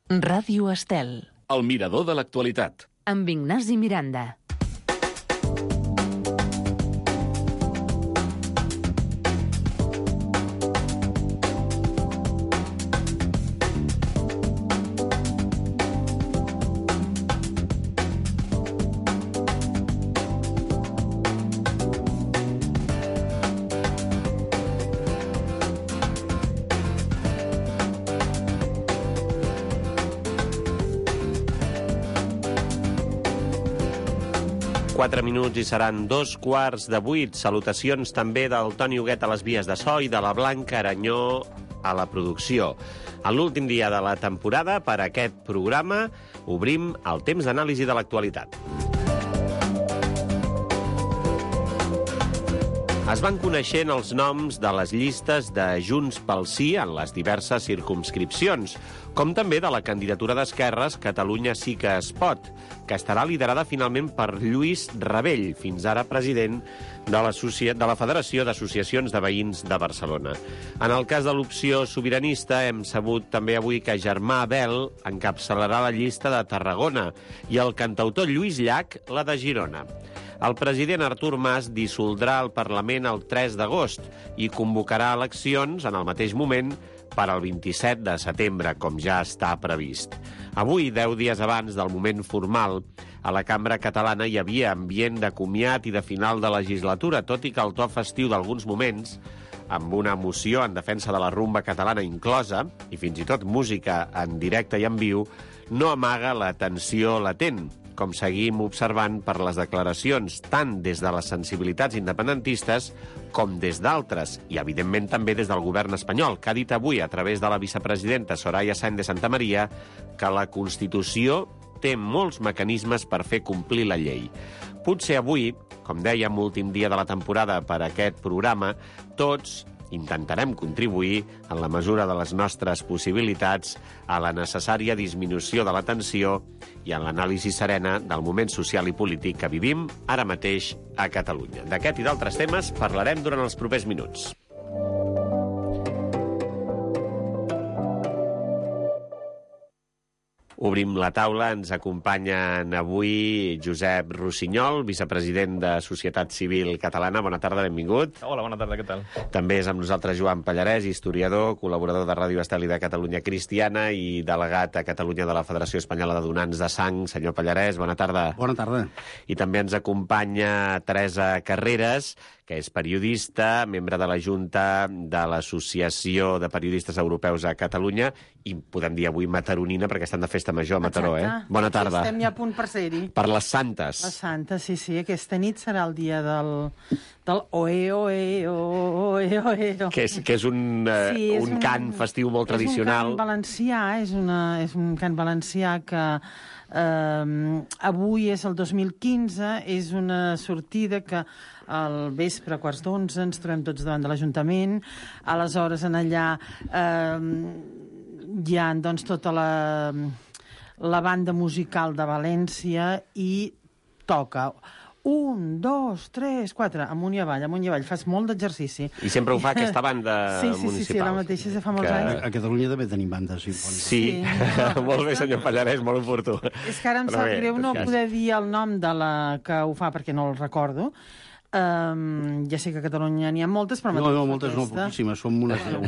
Ràdio Estel. El mirador de l'actualitat. Amb Ignasi Miranda. Quatre minuts i seran 7:15. Salutacions també del Toni Huguet a les vies de so i de la Blanca Aranyó a la producció. En l'últim dia de la temporada, per a aquest programa, obrim el temps d'anàlisi de l'actualitat. Es van coneixent els noms de les llistes de Junts pel Sí en les diverses circumscripcions, com també de la candidatura d'Esquerres Catalunya Sí que es pot, que estarà liderada finalment per Lluís Rabell, fins ara president de la Federació d'Associacions de Veïns de Barcelona. En el cas de l'opció sobiranista, hem sabut també avui que Germà Bel encapçalarà la llista de Tarragona i el cantautor Lluís Llach la de Girona. El president Artur Mas dissoldrà el Parlament el 3 d'agost i convocarà eleccions en el mateix moment per al 27 de setembre, com ja està previst. Avui, 10 dies abans del moment formal, a la cambra catalana hi havia ambient de comiat i de final de legislatura, tot i que el to festiu d'alguns moments, amb una moció en defensa de la rumba catalana inclosa, i fins i tot música en directe i en viu, no amaga la tensió latent, com seguim observant per les declaracions tant des de les sensibilitats independentistes com des d'altres, i evidentment també des del govern espanyol, que ha dit avui a través de la vicepresidenta Soraya Sáenz de Santamaría que la Constitució té molts mecanismes per fer complir la llei. Potser avui, com dèiem, últim dia de la temporada per a aquest programa, tots intentarem contribuir, en la mesura de les nostres possibilitats, a la necessària disminució de la tensió i en l'anàlisi serena del moment social i polític que vivim ara mateix a Catalunya. D'aquest i d'altres temes parlarem durant els propers minuts. Obrim la taula, ens acompanyen avui Josep Rossinyol, vicepresident de Societat Civil Catalana. Bona tarda, benvingut. Hola, bona tarda, què tal? També és amb nosaltres Joan Pallarès, historiador, col·laborador de Ràdio Estel i de Catalunya Cristiana i delegat a Catalunya de la Federació Espanyola de Donants de Sang. Senyor Pallarès, bona tarda. Bona tarda. I també ens acompanya Teresa Carreras, que és periodista, membre de la Junta de l'Associació de Periodistes Europeus a Catalunya, i podem dir avui mataronina, perquè estan de festa major a Mataró, Bona tarda. Estem ja a punt per ser-hi. Per les Santes. Les Santes, sí. Aquesta nit serà el dia del oe, oe, oe, oe. Que és un cant festiu molt tradicional. És un cant valencià, és un cant valencià que avui és el 2015, és una sortida que al vespre, a 11:15, ens trobem tots davant de l'Ajuntament. Aleshores, en allà hi ha doncs, tota la banda musical de València i toca 1, 2, 3, 4, amunt i avall, fas molt d'exercici. I sempre ho fa aquesta banda municipal. Sí, la mateixa, ja fa molts anys. A Catalunya també tenim bandes simfòniques. Sí. Molt bé, senyor Pallarès, molt oportú. És que ara em sap greu no poder dir el nom de la que ho fa, perquè no el recordo. Ja sé que a Catalunya n'hi ha moltes, però no, moltes no, poquíssimes, som unes 10.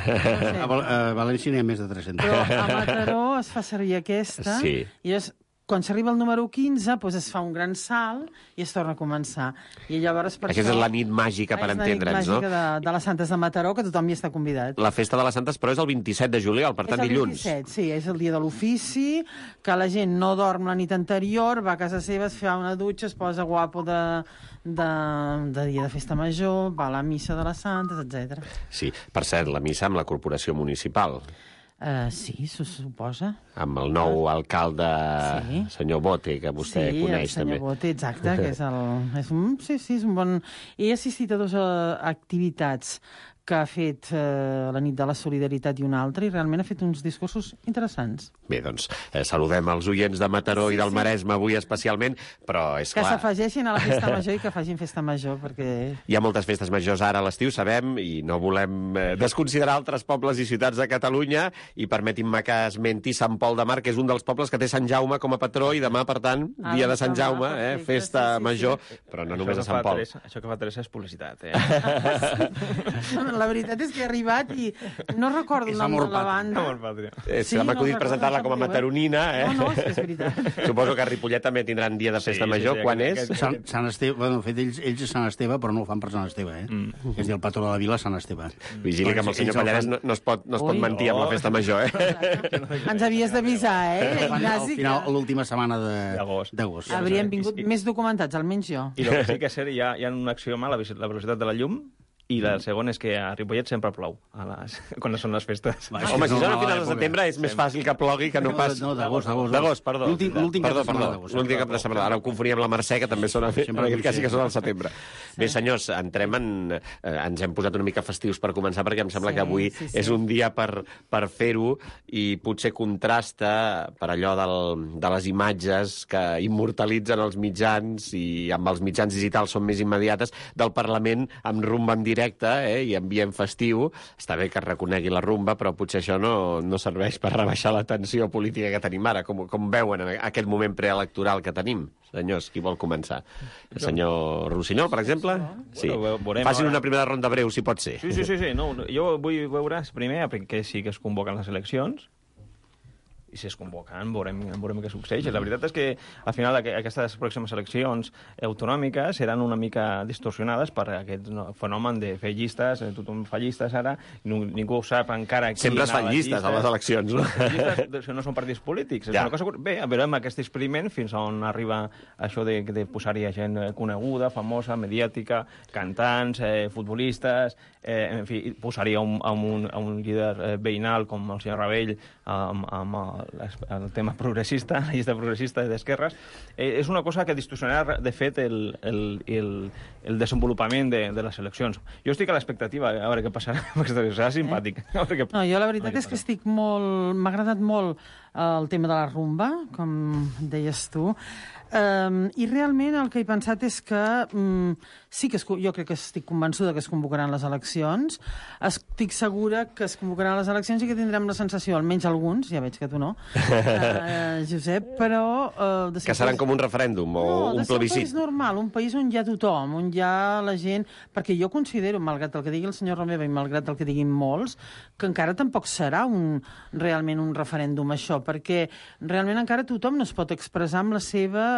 A València n'hi ha més de 300. Però a Mataró es fa servir aquesta, i llavors, quan s'arriba al número 15, doncs es fa un gran salt i es torna a començar. I llavors, per aquesta és la nit màgica, per entendre'ns, no? És la nit màgica de les Santes de Mataró, que tothom hi està convidat. La festa de les Santes, però, és el 27 de juliol, per tant, dilluns. És el 27, sí, és el dia de l'ofici, que la gent no dorm la nit anterior, va a casa seva, es fa una dutxa, es posa guapo de dia de festa major, va a la missa de les Santes, etc. Sí, per cert, la missa amb la corporació municipal. Sí, s'ho suposa. Amb el nou alcalde, senyor Bote, que vostè coneix també. Sí, el senyor Bote, exacte, que és un bon... He assistit a dues activitats que ha fet la nit de la solidaritat i una altra, i realment ha fet uns discursos interessants. Bé, doncs, saludem els oients de Mataró i del Maresme avui especialment, però és Que clar... s'afegeixin a la festa major i que facin festa major, perquè... Hi ha moltes festes majors ara a l'estiu, sabem, i no volem desconsiderar altres pobles i ciutats de Catalunya, i permetin-me que esmenti Sant Pol de Mar, que és un dels pobles que té Sant Jaume com a patró, i demà, per tant, dia de Sant Jaume, festa major, però no només a Sant Pol. Això que fa Teresa és publicitat, La veritat és que he arribat i no recordo el nom de la banda. M'ha acudit presentar-la com a mataronina, No, és que és veritat. Suposo que a Ripollet també tindran dia de festa major. Quan és? Sant Esteve, bueno, de fet, ells és Sant Esteve, però no ho fan per Sant Esteve, És dir, el patró de la vila, Sant Esteve. Vigili que amb el senyor Pallarès no es pot mentir amb la festa major, Ens havies d'avisar, Al final, l'última setmana d'agost. Hauríem vingut més documentats, almenys jo. I el que sí que és cert, hi ha un axioma, la velocitat de la llum, i el segon és que a Ripollet sempre plou quan són les festes. Home, si són a finals de setembre és més fàcil que plogui que no pas... No, d'agost. D'agost, perdó. L'últim cap de setmana d'agost. L'últim cap de setmana. Ara ho confonia amb la Mercè, que també són quasi que són al setembre. Bé, senyors, entrem en... Ens hem posat una mica festius per començar, perquè em sembla que avui és un dia per fer-ho, i potser contrasta per allò de les imatges que immortalitzen els mitjans, i amb els mitjans digitals són més immediates, del Parlament amb rumba en directe, i ambient festiu. Està bé que es reconegui la rumba, però potser això no serveix per rebaixar la tensió política que tenim ara. Com veuen aquest moment preelectoral que tenim? Senyors, qui vol començar? El senyor Rossinyol, per exemple? Sí. Facin una primera ronda breu, si pot ser. Sí. No, jo vull veure primer perquè sí que es convoquen les eleccions, i si es convoquen, veurem què succeeix. La veritat és que, al final, aquestes pròximes eleccions autonòmiques seran una mica distorsionades per aquest fenomen de fer llistes, tothom fa llistes ara, ningú sap encara... Sempre es fan llistes a les eleccions, no? Llistes no són partits polítics. És una cosa... Bé, veurem aquest experiment fins on arriba això de posar-hi gent coneguda, famosa, mediàtica, cantants, futbolistes, en fi, posar-hi un líder veïnal com el senyor Rabell amb el tema progressista, la llista progressista d'esquerres. És una cosa que distorsionarà, de fet, el desenvolupament de les eleccions. Jo estic a l'expectativa, a veure què passarà, perquè serà simpàtic. No, jo la veritat és que estic molt... M'ha agradat molt el tema de la rumba, com deies tu, i realment el que he pensat és que sí que jo crec que estic convençuda que es convocaran les eleccions, estic segura que es convocaran les eleccions i que tindrem la sensació, almenys alguns, ja veig que tu no, Josep, però... que seran com un referèndum o un plebiscit. Un país normal, un país on hi ha tothom, on hi ha la gent... Perquè jo considero, malgrat el que digui el senyor Romeva i malgrat el que diguin molts, que encara tampoc serà realment un referèndum això, perquè realment encara tothom no es pot expressar amb la seva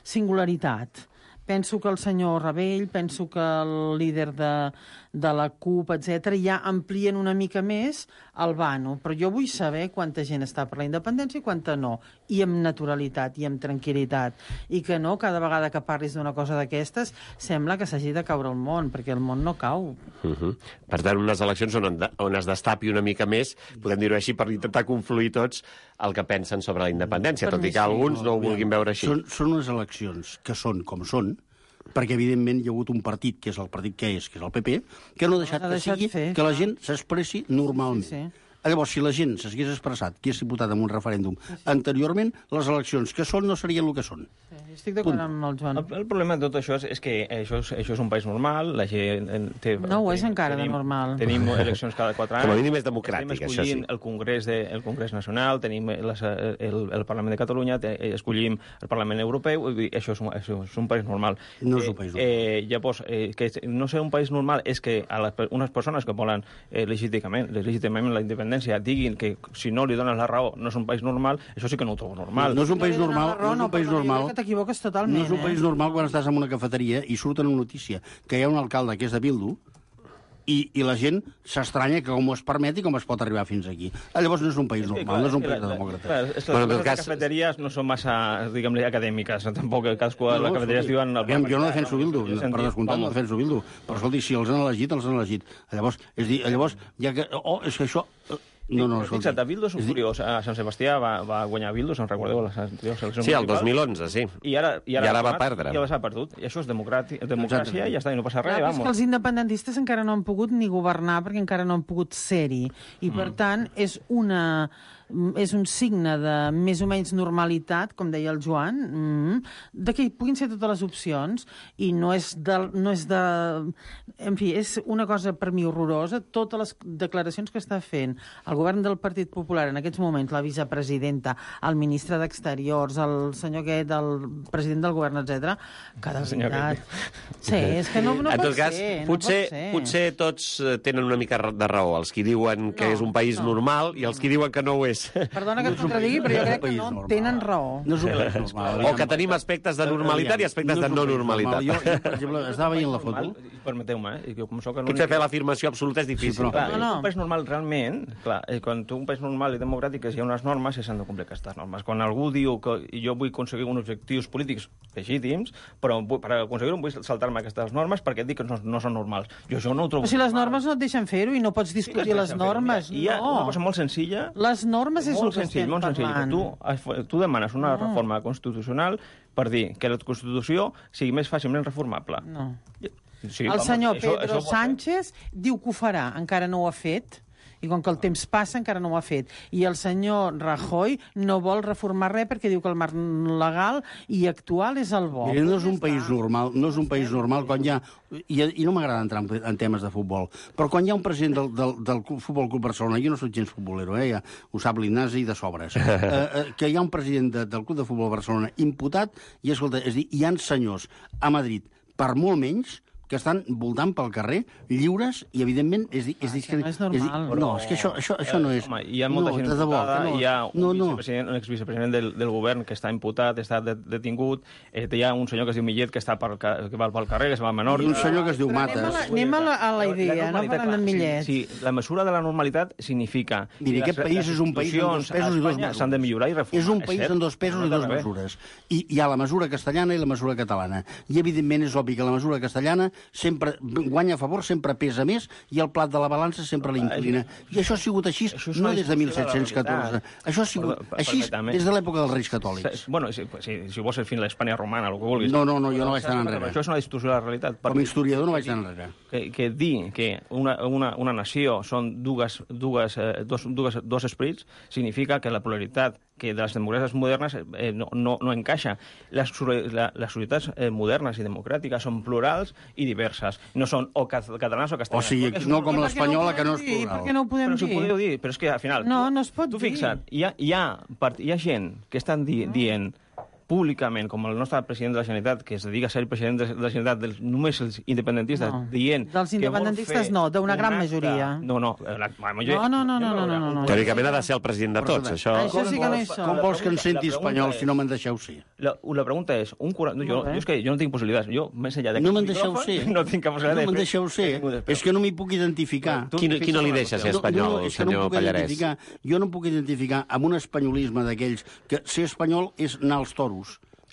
singularitat. Penso que el senyor Rabell, penso que el líder de la CUP, etc., ja amplien una mica més el vano. Però jo vull saber quanta gent està per la independència i quanta no. I amb naturalitat, i amb tranquil·litat. I que no, cada vegada que parlis d'una cosa d'aquestes, sembla que s'hagi de caure el món, perquè el món no cau. Per tant, unes eleccions on es destapi una mica més, podem dir-ho així, per intentar confluir tots el que pensen sobre la independència, tot i que alguns no ho vulguin veure així. Són unes eleccions que són com són, perquè, evidentment, hi ha hagut un partit, que és el partit que és el PP, que no ha deixat que la gent s'expressi normalment. Sí. Llavors, si la gent s'hagués expressat, que és diputat en un referèndum anteriorment, les eleccions que són no serien el que són. Sí, estic d'acord amb el Joan. El problema de tot això és que això és un país normal, la gent té... No ho és encara de normal. Tenim eleccions cada 4 anys. Com a mínim és democràtic, això sí. Escollim el Congrés Nacional, tenim el Parlament de Catalunya, escollim el Parlament Europeu, això és un país normal. No és un país normal. Llavors, que no ser un país normal és que unes persones que volen legítimament la independència diguin que si no li dones la raó no és un país normal, això sí que no ho trobo normal. No és un país normal, que t'equivoques totalment. No és un país normal quan estàs en una cafeteria i surt una notícia que hi ha un alcalde que és de Bildu i la gent s'estranya que com es permet i com es pot arribar fins aquí. Llavors no és un país normal, no és un país de demòcrates. Les cafeteries no són massa, diguem-ne, acadèmiques. Tampoc cadascú les cafeteries diuen... Jo no defenso Bildu, per descomptat no defenso Bildu, però escolti, si els han elegit, els han elegit. Llavors, ja que... és que això... Fixa't, a Bildu és un curiós. A Sant Sebastià va guanyar Bildu, se'n recordeu, a les anteriors eleccions. Sí, el 2011, sí. I ara va perdre. I ara s'ha perdut. I això és democràcia, i ja està, i no passa res, vamos. Els independentistes encara no han pogut ni governar perquè encara no han pogut ser-hi. I, per tant, és un signe de més o menys normalitat, com deia el Joan, de que hi puguin ser totes les opcions, i no és de... En fi, és una cosa per mi horrorosa, totes les declaracions que està fent el govern del Partit Popular en aquests moments, la vicepresidenta, el ministre d'Exteriors, el senyor aquest, el president del govern, etc. Que de veritat... Sí, és que no pot ser. Potser tots tenen una mica de raó, els que diuen que és un país normal i els que diuen que no ho és. Perdona que et contradigui, però jo crec que no tenen raó. No és un país normal. O que tenim aspectes de normalitat i aspectes de no normalitat. Jo, per exemple, estava veient la foto... Permeteu-me, potser fer l'afirmació absoluta és difícil. Un país normal, realment, quan tu un país normal i democràtic hi ha unes normes i s'han de complir aquestes normes. Quan algú diu que jo vull aconseguir uns objectius polítics legítims, però per aconseguir-ho vull saltar-me aquestes normes perquè et dic que no són normals. Jo això no ho trobo... Però si les normes no et deixen fer-ho i no pots discutir les normes, no. Hi ha una cosa molt senzilla... Les normes és el que estem parlant. Tu demanes una reforma constitucional per dir que la Constitució sigui més fàcilment reformable. No. El senyor Pedro Sánchez diu que ho farà, encara no ho ha fet, i com que el temps passa encara no ho ha fet. I el senyor Rajoy no vol reformar res perquè diu que el marc legal i actual és el bo. Mira, no és un país normal quan hi ha... I no m'agrada entrar en temes de futbol, però quan hi ha un president del Futbol Club Barcelona, jo no soc gens futbolero, ja ho sap l'Ignasi de sobres, que hi ha un president del Club de Futbol Barcelona imputat, i escolta, és dir, hi ha senyors a Madrid, per molt menys, que estan voltant pel carrer, lliures, i evidentment és dir... que no és normal. No, és que això no és... Home, hi ha molta gent imputada, hi ha un exvicepresident del govern que està imputat, està detingut, hi ha un senyor que es diu Millet que va pel carrer, que es va a Menorca... I un senyor que es diu Mates. Anem a la idea, no parlem d'en Millet. Sí, la mesura de la normalitat significa... Mira, aquest país és un país amb dos pesos i dues mesures. S'han de millorar i reformar. És un país amb dos pesos i dues mesures. I hi ha la mesura castellana i la mesura catalana. I, evidentment, és obvi que la mesura castellana sempre guanya a favor, sempre pesa més, i el plat de la balança sempre l'inclina. I això ha sigut així no des de 1714. Això ha sigut així des de l'època dels Reis Catòlics. Bueno, si vols ser fins a l'Espanya romana, el que vulguis. No, jo no vaig tan enrere. Això és una distorsió de la realitat. Com a historiador no vaig tan enrere. Que dir que una nació són dos esprits significa que la pluralitat que de les democràcies modernes no encaixa. Les societats modernes i democràtiques són plurals i diverses. No són o catalans o castellanes. O sigui, no com l'espanyola, que no és plural. Per què no ho podem dir? Però si ho podeu dir, però és que al final... No es pot dir. Tu fixa't, hi ha gent que estan dient públicament, com el nostre president de la Generalitat, que es dedica a ser president de la Generalitat només els independentistes, dient... Dels independentistes no, d'una gran majoria. No. Teòricament ha de ser el president de tots, això. Això sí que no hi som. Com vols que em senti espanyol si no me'n deixeu ser? La pregunta és... És que jo no tinc possibilitats. Jo, més enllà no me'n deixeu ser. No tinc cap possibilitat. No me'n deixeu ser. És que no m'hi puc identificar. Qui no li deixa ser espanyol, senyor Pallarès? Jo no puc identificar amb un espanyolisme d'aquells que ser espanyol és anar als toros.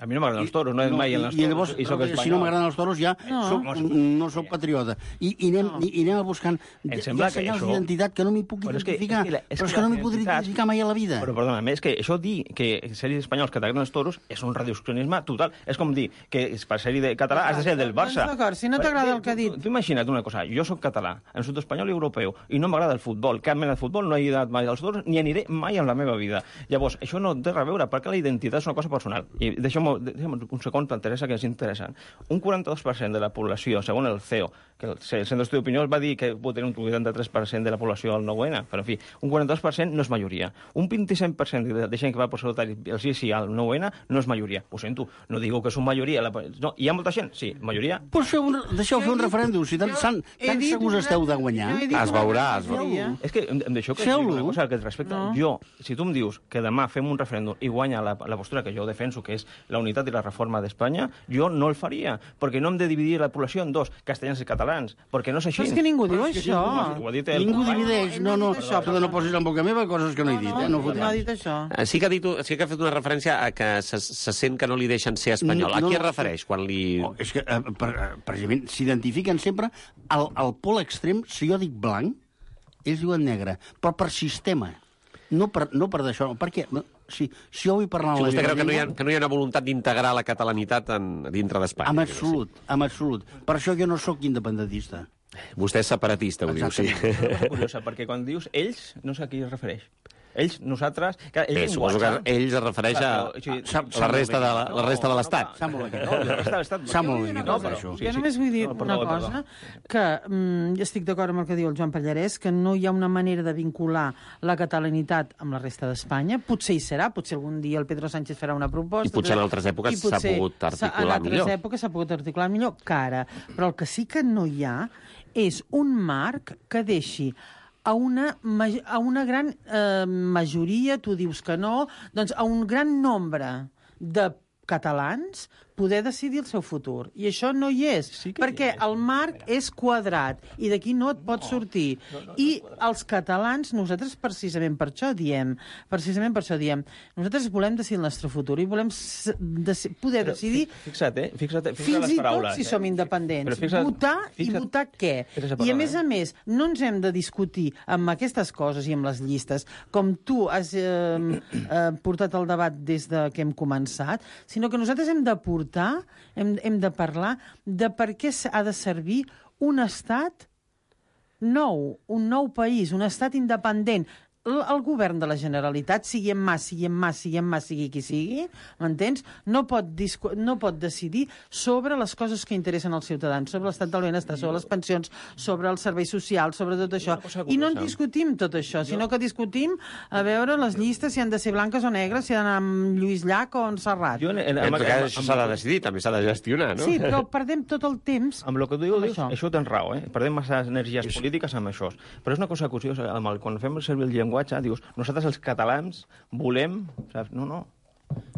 A mi no m'agraden els toros, no he mai en els toros. I llavors, si no m'agraden els toros, ja no soc patriota. I anem a buscant senyals d'identitat que no m'hi puc identificar. Però és que no m'hi podré identificar mai a la vida. Però, perdona, és que això dir que ser espanyols que t'agraden els toros és un reduccionisme total. És com dir que per ser català has de ser del Barça. D'acord, si no t'agrada el que ha dit. Tu imagina't una cosa, jo soc català, em surt espanyol i europeu, i no m'agrada el futbol, cap mena de futbol, no he anat mai als toros, ni aniré mai en la meva vida. Llavors, això no té res a veure, perquè la identitat és una cosa personal. I deixem un segon, t'interessa que és interessant. Un 42% de la població, segons el CEO, que el Centre d'Estudi d'Opinió va dir que pot tenir un 83% de la població al 9-N, però en fi, un 42% no és majoria. Un 25% de gent que va posar el sí al 9-N no és majoria. Ho sento, no digo que és una majoria. No, hi ha molta gent? Sí, majoria. Pues deixeu fer un referèndum, si tan segurs esteu de guanyar. Es veurà. És que em deixeu que digui una cosa que et respecta. Jo, si tu em dius que demà fem un referèndum i guanya la postura que jo defenso, que és la unitat i la reforma d'Espanya, jo no el faria, perquè no hem de dividir la població en dos, castellans i catalans, perquè no és així. Però és que ningú diu això. Ningú divideix. No posis en boca meva coses que no he dit. No ha dit això. Sí que ha fet una referència a que se sent que no li deixen ser espanyol. A qui es refereix quan li... És que, precisament, s'identifiquen sempre al pol extrem. Si jo dic blanc, ells diuen negre, però per sistema, no per d'això. Per què? Si jo vull parlar Si en la vostè meva creu llengua... que no hi ha una voluntat d'integrar la catalanitat dintre d'Espanya. En absolut. Per això jo no sóc independentista. Vostè és separatista, ho diu, sí. És una cosa curiosa, perquè quan dius ells, no sé a qui es refereix. Ells, nosaltres... Bé, suposo que ells es refereix a la resta de l'Estat. Sap molt bé. La resta de l'Estat... Sap molt bé No, què però això. jo només vull dir una cosa, que jo estic d'acord amb el que diu el Joan Pallarès, que no hi ha una manera de vincular la catalanitat amb la resta d'Espanya. Potser hi serà, potser algun dia el Pedro Sánchez farà una proposta. I potser en altres èpoques s'ha pogut articular millor. En altres èpoques s'ha pogut articular millor que ara. Però el que sí que no hi ha és un marc que deixi a una gran majoria, tu dius que no, doncs a un gran nombre de catalans poder decidir el seu futur. I això no hi és, perquè el marc és quadrat i d'aquí no et pot sortir. I els catalans, nosaltres precisament per això diem, nosaltres volem decidir el nostre futur i volem poder decidir Fixa't fins i tot si som independents. Votar i votar què? I a més, no ens hem de discutir amb aquestes coses i amb les llistes, com tu has portat el debat des que hem començat, sinó que nosaltres hem de hem de parlar de per què ha de servir un estat nou, un nou país, un estat independent. El govern de la Generalitat, sigui qui sigui, m'entens? No pot decidir sobre les coses que interessen als ciutadans, sobre l'estat del benestar, sobre les pensions, sobre els serveis socials, sobre tot això. I no en discutim tot això, sinó que discutim a veure les llistes si han de ser blanques o negres, si han d'anar amb Lluís Llach o amb Serrat. En tot cas, això s'ha de decidir, també s'ha de gestionar, no? Sí, però perdem tot el temps amb el que tu dius, això tens raó, perdem massa energies polítiques amb això. Però és una cosa curiosa, quan fem servir el llenguatge, dius, nosaltres els catalans volem... Saps? No.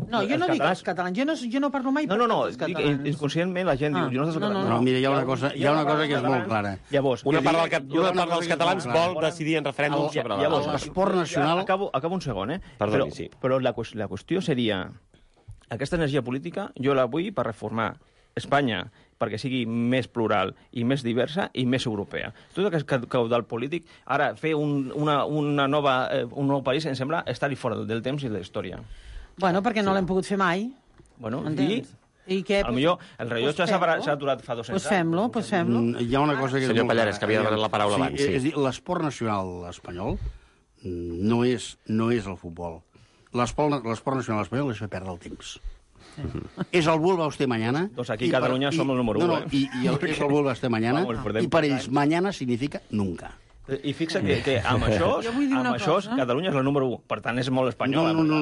No, jo no dic els catalans, jo no parlo mai No, dic, inconscientment la gent diu... No, mira, hi ha una cosa que és molt clara. Llavors, una part dels catalans vol decidir en referèndum sobre l'esport nacional... Acabo un segon, Perdoni, sí. Però la qüestió seria... Aquesta energia política jo la vull per reformar Espanya, perquè sigui més plural i més diversa i més europea. Tot aquest caudal polític, ara fer un nou país, em sembla estar-hi fora del temps i de la història. Bueno, perquè no l'hem pogut fer mai. Bueno, i què? Potser el rellotge s'ha aturat fa 200 anys. Pues fem-lo. Hi ha una cosa que... Senyor Pallarès, que havia demanat la paraula abans. És a dir, l'esport nacional espanyol no és el futbol. L'esport nacional espanyol és fer perdre el temps. És el vulva usted mañana. Doncs aquí a Catalunya som el número 1. És el vulva usted mañana, i per ells mañana significa nunca. I fixa que amb això Catalunya és la número 1. Per tant, és molt espanyola. No.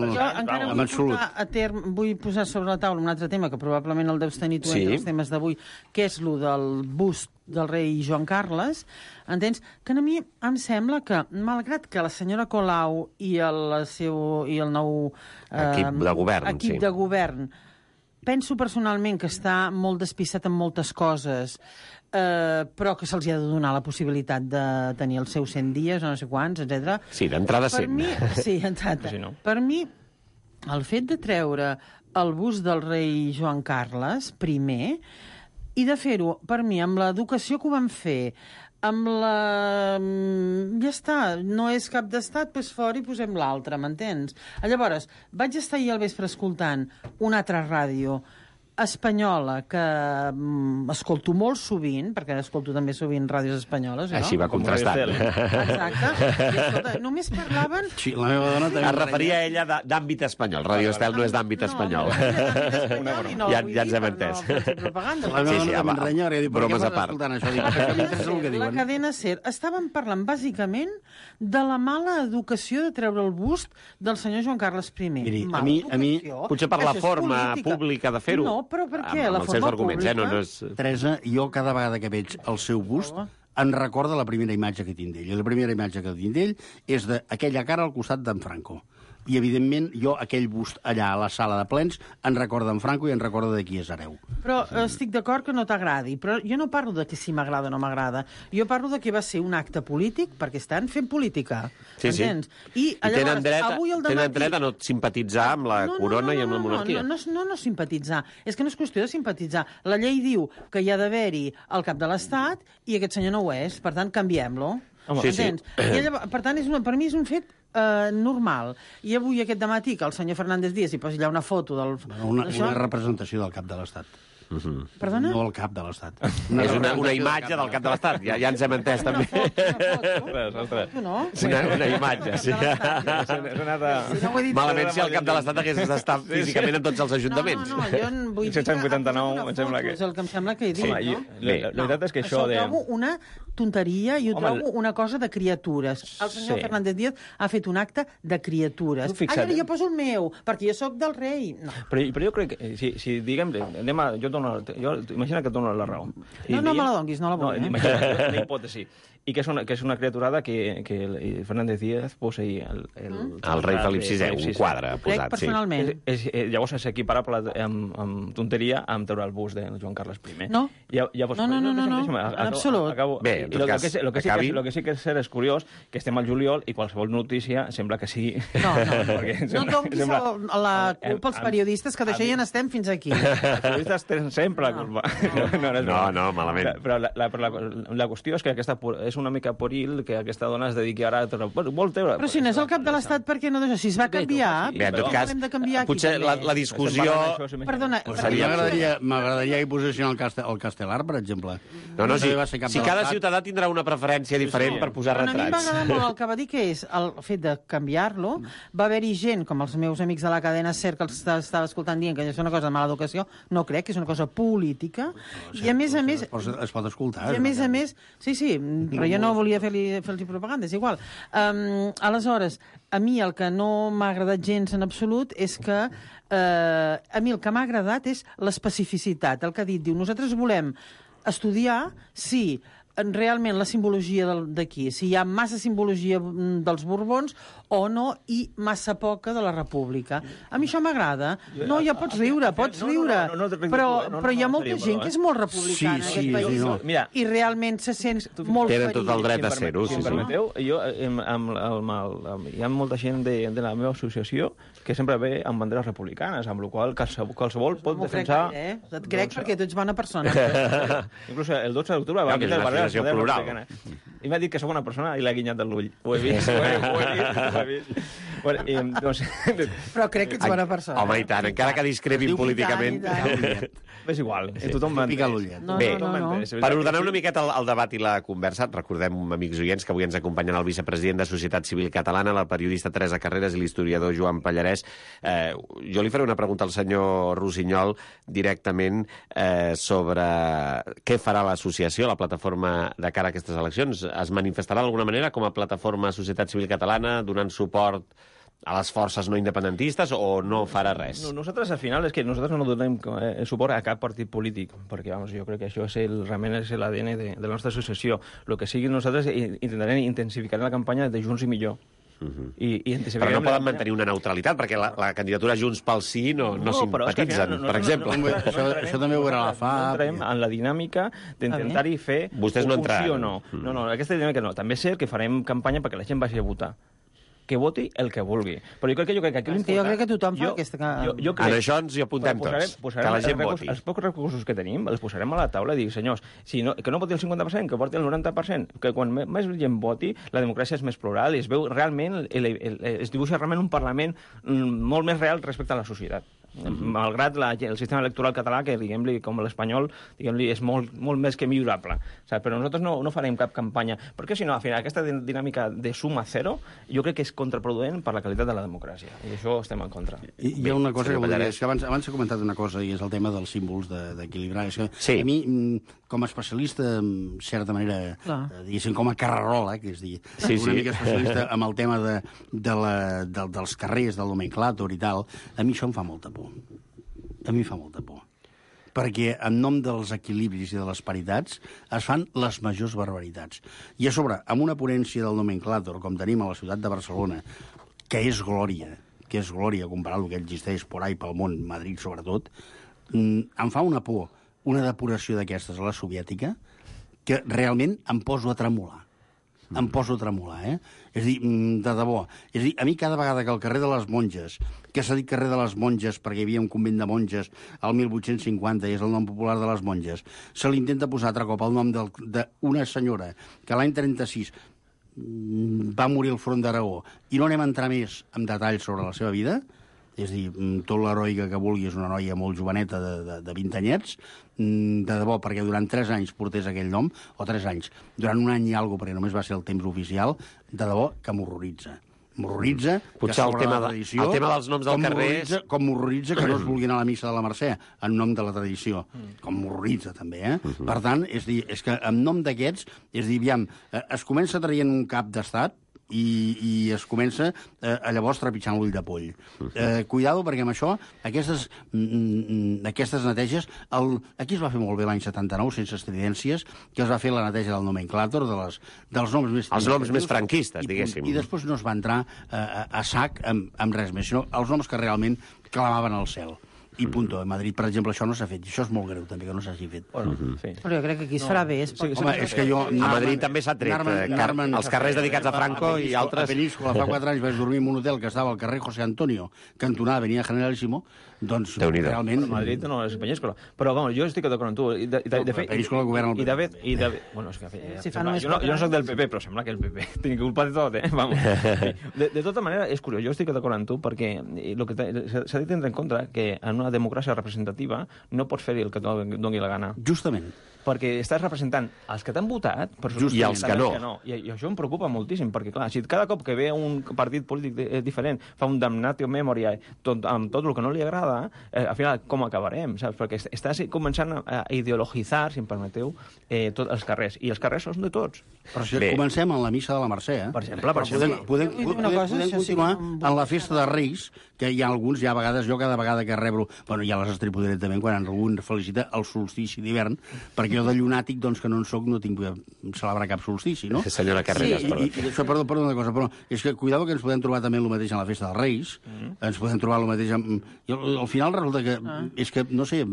Jo encara vull posar sobre la taula un altre tema, que probablement el deus tenir tu entre els temes d'avui, que és el del bust del rei Joan Carles. Entens? Que a mi em sembla que, malgrat que la senyora Colau i el nou equip de govern penso personalment que està molt despistat en moltes coses, però que se'ls ha de donar la possibilitat de tenir els seus 100 dies o no sé quants, etc. Sí, d'entrada 100. Sí, d'entrada. Per mi, el fet de treure el bust del rei Joan Carles primer, i de fer-ho, per mi, amb l'educació que ho van fer, amb la... Ja està, no és cap d'estat, doncs fora i posem l'altre, m'entens? Llavors, vaig estar ahir al vespre escoltant una altra ràdio espanyola que escolto molt sovint, perquè escolto també sovint ràdios espanyoles, no? Així va contrastant. Exacte. I escolta, només parlaven... Sí, la meva dona també... Es referia a ella d'àmbit espanyol. Ràdio Estel no és d'àmbit espanyol. Ja ens hem entès. La meva dona també renya, perquè diu, per què vas escoltant això? La cadena SER estaven parlant bàsicament de la mala educació de treure el bust del senyor Joan Carles I. Miri, a mi potser per la forma pública de fer-ho. No, però per què? Amb els seus arguments, no és... Teresa, jo cada vegada que veig el seu bust em recorda la primera imatge que tinc d'ell. I la primera imatge que tinc d'ell és d'aquella cara al costat d'en Franco. I, evidentment, jo aquell bust allà a la sala de plens en recorda en Franco i en recorda de qui és hereu. Però estic d'acord que no t'agradi, però jo no parlo de que si m'agrada o no m'agrada. Jo parlo de que va ser un acte polític perquè estan fent política. Sí, entens? I tenen dret a no simpatitzar amb la corona i amb la monarquia. No simpatitzar. És que no és qüestió de simpatitzar. La llei diu que hi ha d'haver-hi el cap de l'Estat i aquest senyor no ho és. Per tant, canviem-lo. Entens? I llavors, per tant, per mi és un fet normal. I avui, aquest dematí, que el senyor Fernández Díaz hi posi allà una foto del... Una representació del cap de l'Estat. Perdona? No el cap de l'Estat. És una imatge del cap de l'Estat, ja ens hem entès també. Una imatge, sí. Malament si el cap de l'Estat hagués d'estar físicament en tots els ajuntaments. No, jo vull dir que 789, em sembla que... és el que em sembla que he dit, no? La veritat és que això de... Ho trobo una tonteria i ho trobo una cosa de criatures. El senyor Fernández Díaz ha fet un acte de criatures. Jo poso el meu, perquè jo sóc del rei. Però jo crec que, si diguem, imagina que et dono la raó. No me la donguis, no la vull. Imagina, una hipòtesi. I que és una criaturada que Fernández Díaz posa ahir el rei Felip VI, un quadre posat. Personalment. Llavors és equiparable amb tonteria amb treure el bust de Joan Carles I. No, en absolut. Bé, en tot cas, lo que sí que és cert és curiós que estem al juliol i qualsevol notícia sembla que sigui... No donguis la culpa als periodistes, que d'això ja n'estem fins aquí. Els periodistes tenen sempre la culpa. No, malament. Però la qüestió és que aquesta és una mica poril que aquesta dona es dediqui ara a... Vol treure... Però si no és el cap de l'Estat, per què no deixa? Si es va canviar... Bé, en tot cas, potser la discussió... Perdona... M'agradaria que posessin el Castelar, per exemple. No, si cada ciutadà tindrà una preferència diferent per posar retrats. A mi m'agrada molt el que va dir, que és el fet de canviar-lo. Va haver-hi gent, com els meus amics de la cadena SER, que els estava escoltant dient que és una cosa de mala educació. No crec, que és una cosa política. I a més... Es pot escoltar. I a més... Sí, però jo no volia fer-los propaganda, és igual. Aleshores, a mi el que no m'ha agradat gens en absolut és que a mi el que m'ha agradat és l'especificitat. El que ha dit, diu, nosaltres volem estudiar si realment la simbologia d'aquí, si hi ha massa simbologia dels Borbons o no, i massa poca de la República. A mi això m'agrada. No, ja pots riure, però hi ha molta gent que és molt republicana en aquest país i realment se sent molt ferit. Tenen tot el dret a ser-ho. Si em permeteu, hi ha molta gent de la meva associació que sempre ve amb banderes republicanes, amb la qual qualsevol pot defensar... Et crec perquè tu ets bona persona. Inclús el 12 d'octubre va vindre el barrer plural. I m'ha dit que sóc una persona i l'ha guinyat de l'ull. Ho he vist, ho he vist. Però crec que ets bona persona. Home, i tant, encara que discrepin políticament. És igual, tothom m'entén. Bé, per ordenar una miqueta el debat i la conversa, recordem, amics oients, que avui ens acompanyen el vicepresident de Societat Civil Catalana, la periodista Teresa Carreras i l'historiador Joan Pallarès. Jo li faré una pregunta al senyor Rossinyol directament sobre què farà l'associació, la plataforma de cara a aquestes eleccions. Es manifestarà d'alguna manera com a plataforma Societat Civil Catalana, donant suport a les forces no independentistes, o no farà res? Nosaltres, al final, és que nosaltres no donem suport a cap partit polític, perquè, jo crec que això realment és l'ADN de la nostra associació. El que sigui, nosaltres intentarem intensificar la campanya de Junts i Millor. Però no poden mantenir una neutralitat, perquè la candidatura Junts pel Sí no simpatitzen, per exemple. Això també ho veurà la FA. No entrem en la dinàmica d'intentar-hi fer... Vostès no entraran. No, aquesta dinàmica no. També és cert que farem campanya perquè la gent vagi a votar. Que voti el que vulgui. Però jo crec que aquí l'important... Jo crec que tothom fa aquesta... En això ens hi apuntem tots, que la gent voti. Els pocs recursos que tenim els posarem a la taula i dir, senyors, que no voti el 50%, que voti el 90%, que quan més gent voti, la democràcia és més plural i es veu realment, es dibuixa realment un Parlament molt més real respecte a la societat. Malgrat el sistema electoral català, que diguem-li, com l'espanyol, diguem-li, és molt més que millorable. Però nosaltres no farem cap campanya, perquè si no, al final, aquesta dinàmica de suma zero, jo crec que és contraproduent per la qualitat de la democràcia, i això estem en contra. Hi ha una cosa que volia dir, és que abans he comentat una cosa, i és el tema dels símbols d'equilibrar. A mi, com a especialista, en certa manera, diguéssim, com a carrerola, que és dir, una mica especialista amb el tema dels carrers, del nomenclàtor i tal, a mi això em fa molta por. A mi fa molta por. Perquè en nom dels equilibris i de les paritats es fan les majors barbaritats. I a sobre, amb una ponència del nomenclàtor, com tenim a la ciutat de Barcelona, que és glòria comparat amb el que existeix por ahí pel món, Madrid sobretot, em fa una por, una depuració d'aquestes a la soviètica, que realment em poso a tremolar. Em poso a tremolar, És a dir, de debò. És a dir, a mi cada vegada que el carrer de les Monges, que s'ha dit carrer de les Monges perquè hi havia un convent de monges al 1850 i és el nom popular de les monges, se li intenta posar altre cop el nom d'una senyora que l'any 36 va morir al front d'Aragó, i no anem a entrar més en detalls sobre la seva vida, és a dir, tot l'heroica que vulgui, és una noia molt joveneta de 20 anyets, de debò, perquè durant 3 anys portés aquell nom, o 3 anys, durant un any i alguna cosa, perquè només va ser el temps oficial, de debò que m'horroritza. M'horroritza potser el tema dels noms del carrer és... Com m'horroritza que no es vulgui anar a la missa de la Mercè en nom de la tradició. Com m'horroritza, també, eh? Per tant, és que en nom d'aquests, és dir, aviam, es comença traient un cap d'estat i es comença llavors trepitjant l'ull de poll. Cuidado, perquè amb això, aquestes neteges... Aquí es va fer molt bé l'any 79, sense estridències, que es va fer la neteja del nomenclàtor, dels noms més... Els noms més franquistes, diguéssim. I després no es va entrar a sac amb res més, sinó els noms que realment clamaven al cel. I punto. A Madrid, per exemple, això no s'ha fet. I això és molt greu, també, que no s'hagi fet. Però jo crec que aquí es farà bé. Home, és que jo... A Madrid també s'ha tret. Els carrers dedicats a Franco i altres... A Peníscola, fa 4 anys vaig dormir en un hotel que estava al carrer José Antonio, cantonada Avenida Generalísimo, doncs realment... A Madrid no és Peníscola. Però, bueno, jo estic d'acord amb tu. De fet... Peníscola governa el PP. Bueno, és que... Jo no soc del PP, però sembla que el PP tingui culpa de tot, eh? Vamos. De tota manera, és curiós. Jo estic d'acord amb tu perquè s'ha de tenir en compte que en una democràcia representativa no pots fer-hi el que et doni la gana. Justament. Perquè estàs representant els que t'han votat i els que no. I això em preocupa moltíssim, perquè, clar, si cada cop que ve un partit polític diferent fa un damnatio memoria amb tot el que no li agrada, al final com acabarem, saps? Perquè estàs començant a ideologitzar, si em permeteu, tots els carrers. I els carrers són de tots. Però si comencem en la missa de la Mercè, per exemple, podem continuar en la festa de Reis, que hi ha alguns, a vegades, jo cada vegada que rebro... Bueno, ja les estripo directament quan algú felicita el solstici d'hivern, perquè jo de llunàtic, doncs, que no en soc, no tinc que celebrar cap solstici, no? Senyora Carreras, perdó. I això, perdó, una cosa, però és que cuidado que ens podem trobar també el mateix en la festa dels Reis, ens podem trobar el mateix I al final resulta que, és que, no sé,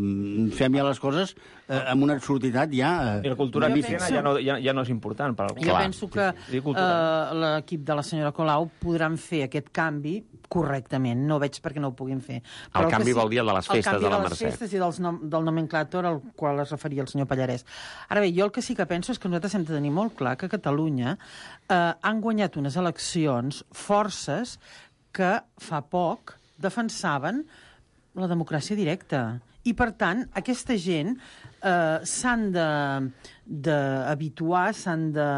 fem ja les coses amb una absurditat ja... I la cultura cristiana ja no és important per algú. Jo penso que l'equip de la senyora Colau podran fer aquest canvi correctament. No veig per què no ho puguin fer. El canvi vol dir el de les festes de la Mercè. El canvi de les festes i del nomenclàtor al qual es referia el senyor Pallarès. Ara bé, jo el que sí que penso és que nosaltres hem de tenir molt clar que a Catalunya han guanyat unes eleccions forces que fa poc defensaven la democràcia directa. I, per tant, aquesta gent s'han d'habituar, s'han de...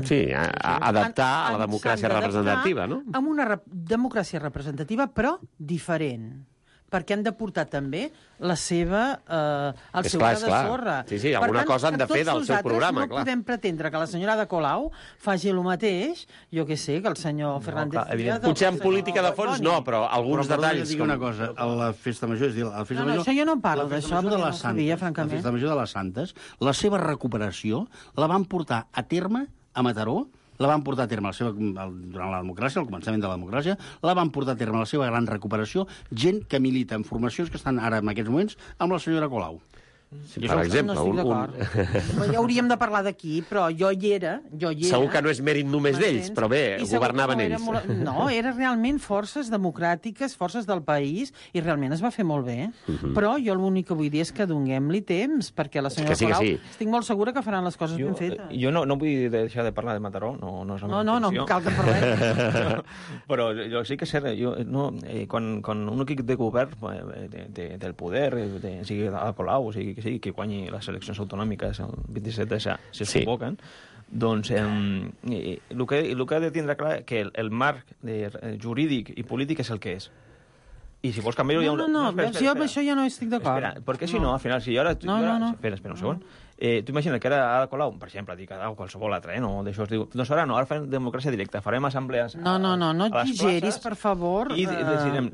Sí, adaptar a la democràcia representativa, no? Amb una democràcia representativa, però diferent. Perquè han de portar també la seva... el seu gra de sorra. Sí, alguna cosa han de fer del seu programa, clar. No podem pretendre que la senyora de Colau faci el mateix, jo què sé, que el senyor Fernández Díaz... Potser en política de fons no, però alguns detalls... Però una cosa, a la festa major, és dir, a la festa major... això jo no parlo d'això, perquè no ho sabia, francament. La festa major de les Santes, la seva recuperació la van portar a terme a Mataró, la van portar a terme durant la democràcia, al començament de la democràcia, la van portar a terme la seva gran recuperació gent que milita en formacions que estan ara en aquests moments amb la senyora Colau. Sí, per exemple, no estic d'acord. Ja hauríem de parlar d'aquí, però jo hi era. Segur que no és mèrit només d'ells, però bé, governaven ells. No, eren realment forces democràtiques, forces del país, i realment es va fer molt bé. Però jo l'únic que vull dir és que donem-li temps, perquè la senyora Colau estic molt segura que faran les coses ben fetes. Jo no vull deixar de parlar de Mataró, no és la meva intenció. No cal que en parlem. Però jo sí que sé, quan un equip de govern del poder, sigui a Colau, sigui que sigui, que guanyi les eleccions autonòmiques el 27 de si es convoquen, doncs el que ha de tindre clar que el marc jurídic i polític és el que és. I si vols canviar-ho... No, jo amb això ja no estic d'acord. Perquè si no, al final, si ara... Espera un segon. Tu imagina que ara a Colau, per exemple, dic a qualsevol altre, no? D'això es diu... Doncs ara no, ara farem democràcia directa, farem assemblees... No exageris, per favor. I decidirem...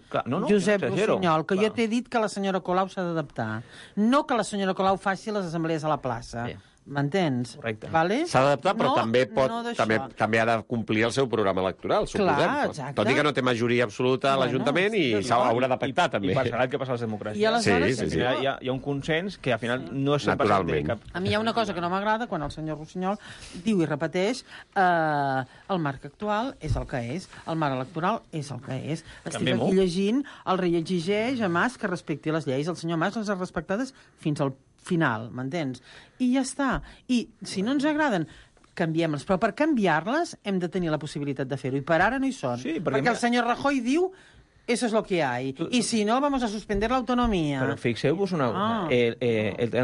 Josep Rossinyol, que jo t'he dit que la senyora Colau s'ha d'adaptar. No que la senyora Colau faci les assemblees a la plaça. M'entens? Correcte. S'ha d'adaptar, però també ha de complir el seu programa electoral, suposem. Tot i que no té majoria absoluta a l'Ajuntament i s'haurà de pactar, també. I passarà el que passa a les democràcies. I aleshores hi ha un consens que al final no és sempre cap... A mi hi ha una cosa que no m'agrada quan el senyor Rossinyol diu i repeteix el marc actual és el que és, el marc electoral és el que és. Estic aquí llegint, el rei exigeix a Mas que respecti les lleis. El senyor Mas les ha respectades fins al final, m'entens? I ja està. I si no ens agraden, canviem-les. Però per canviar-les hem de tenir la possibilitat de fer-ho, i per ara no hi són. Sí, perquè el senyor Rajoy diu eso es lo que hay. Y si no, vamos a suspender la autonomía. Però fixeu-vos una cosa.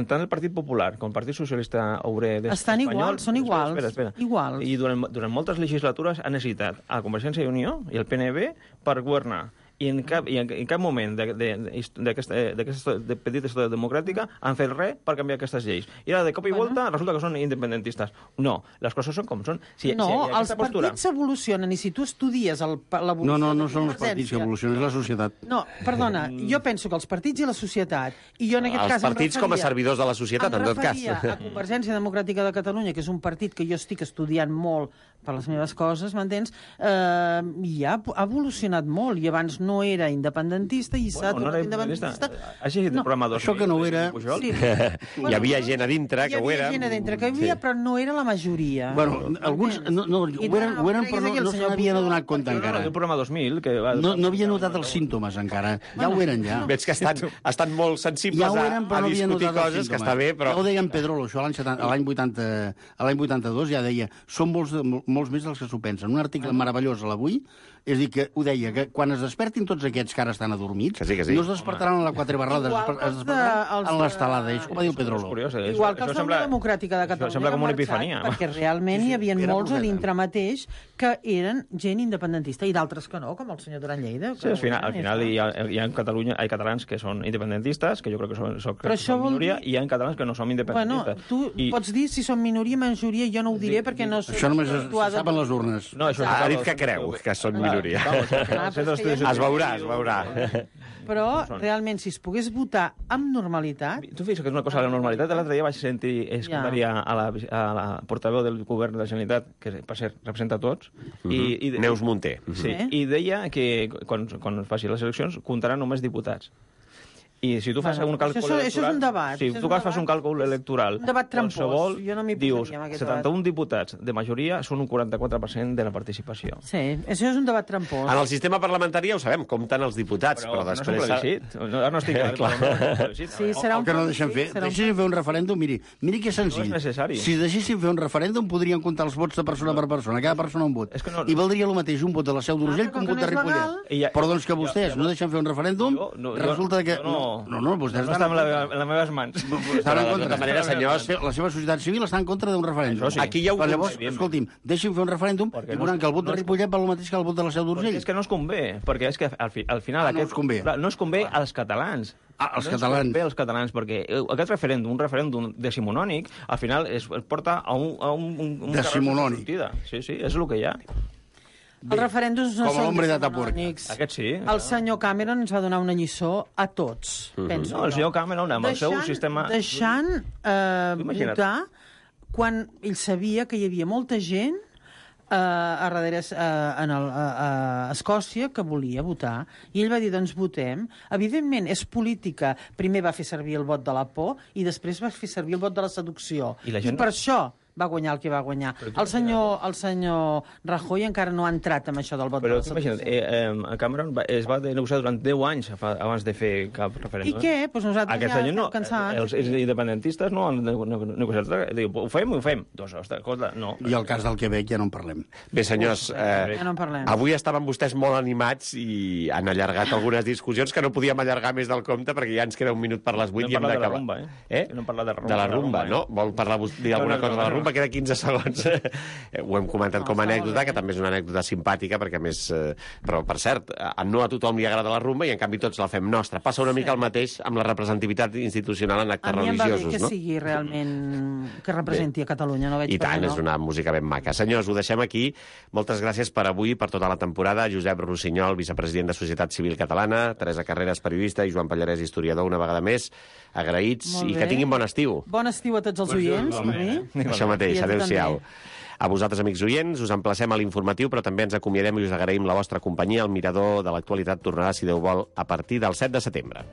Tant el Partit Popular com el Partit Socialista Obrer Estan iguals, són iguals. Espera. Iguals. I durant moltes legislatures ha necessitat a Convergència i Unió i el PNB per governar. I en cap moment d'aquesta petita història democràtica han fet res per canviar aquestes lleis. I ara, de cop i volta, resulta que són independentistes. No, les coses són com són. Els partits s'evolucionen, i si tu estudies l'evolució... No són els partits que evolucionen, és la societat. No, perdona, jo penso que els partits i la societat, i jo en aquest cas els partits com a servidors de la societat, en tot cas. Em referia a Convergència Democràtica de Catalunya, que és un partit que jo estic estudiant molt per les meves coses, m'entens? I ha evolucionat molt, i abans no era independentista i s'ha tornat independentista. Has llegit el programa 2000? Això que no ho era... Sí. Hi havia gent a dintre que ho era. Hi havia gent a dintre que ho havia, però no era la majoria. Bueno, alguns ho eren, però no se n'havien adonat compte encara. El programa 2000, que no havia notat els símptomes encara. Ja ho eren, ja. Veig que estan molt sensibles a discutir coses, que està bé, però... Ja ho deia en Pedrolo, això l'any 82, ja deia, són molts més dels que s'ho pensen. Un article meravellós a l'Avui, és a dir, que ho deia, que quan es despertin tots aquests que ara estan adormits, no es despertaran a la Quatre Barrades, es despertaran a l'estelada. Això ho va dir el Pedrolo. Igual que els de la Democràtica de Catalunya sembla com una epifania. Perquè realment hi havia molts a dintre mateix que eren gent independentista, i d'altres que no, com el senyor Duran Lleida. Sí, al final hi ha catalans que són independentistes, que jo crec que són minoria, i hi ha catalans que no som independentistes. Bueno, tu pots dir si són minoria o majoria, jo no ho diré perquè no... Això només se sap en les urnes. Ha dit que creu que són minoria. Es veurà. Però, realment, si es pogués votar amb normalitat... Tu fixes que és una cosa de la normalitat. L'altre dia vaig sentir escoltar a la portaveu del govern de la Generalitat, que per cert representa tots, Neus Munté. Sí, i deia que quan es faci les eleccions comptaran només diputats. I si tu fas un càlcul electoral... Això és un debat. Si tu fas un càlcul electoral... Un debat trampós. Jo no m'hi posaria amb aquest debat. 71 diputats de majoria són un 44% de la participació. Sí, això és un debat trampós. En el sistema parlamentari ja ho sabem, compten els diputats, però després... No és un plebiscit. Ara no estic clar. Sí, serà un que no deixen fer. Deixessin fer un referèndum, miri que senzill. No és necessari. Si deixessin fer un referèndum, podrien comptar els vots de persona per persona, cada persona un vot. I valdria el mateix un vot de la Seu d'Urgell que un vot de Ripollet. Però doncs que vostès no deixen fer un referèndum, resulta que... No, vostès no està en les meves mans. Estan en contra. De manera, senyors... La seva societat civil està en contra d'un referèndum. Sí. Aquí ja ho... Llavors, escolti'm, deixin fer un referèndum i veuran que el vot de Ripollet val el mateix que el vot de la Seu d'Urgell. És que no es convé, perquè és que al final... No es convé als catalans. Els catalans. No es convé als catalans, perquè aquest referèndum, un referèndum decimonònic, al final es porta a un decimonònic. Sí, és el que hi ha. Els referèndums no són decimonònics. Aquest sí. El senyor Cameron ens va donar una lliçó a tots, penso. No, el senyor Cameron, amb el seu sistema... Deixant votar quan ell sabia que hi havia molta gent a darrere a Escòcia que volia votar, i ell va dir, doncs votem. Evidentment, és política. Primer va fer servir el vot de la por i després va fer servir el vot de la seducció. I per això va guanyar el que va guanyar. El senyor Rajoy encara no ha entrat amb això del vot de la seducció. Imagina't, Cameron es va negociar durant 10 anys abans de fer cap referèndum. I què? Pues nosaltres ja estem cansats. Els independentistes no han negociat. Ho fem? Doncs, escolta, no. I el cas del Quebec ja no en parlem. Bé, senyors, ja no en parlem. Avui estaven vostès molt animats i han allargat algunes discussions que no podíem allargar més del compte perquè ja ens queda un minut per les 8 i hem d'acabar. No hem parlat de la rumba. De la rumba, no? Vol dir alguna cosa de la rumba? Queda 15 segons. Ho hem comentat com a anècdota, que també és una anècdota simpàtica, perquè a més... Però, per cert, no a tothom li agrada la rumba i, en canvi, tots la fem nostra. Passa una mica el mateix amb la representativitat institucional en actes religiosos, no? A mi em va bé que sigui realment... que representi a Catalunya, no veig per què no. I tant, és una música ben maca. Senyors, ho deixem aquí. Moltes gràcies per avui, per tota la temporada. Josep Rossinyol, vicepresident de Societat Civil Catalana, Teresa Carreras, periodista, i Joan Pallarès, historiador, una vegada més. Agraïts i que tinguin bon estiu. Bon estiu a tots els oients, per mi. Això mateix, adéu-siau. A vosaltres, amics oients, us emplacem a l'informatiu, però també ens acomiadem i us agraïm la vostra companyia. El Mirador de l'Actualitat tornarà, si Déu vol, a partir del 7 de setembre.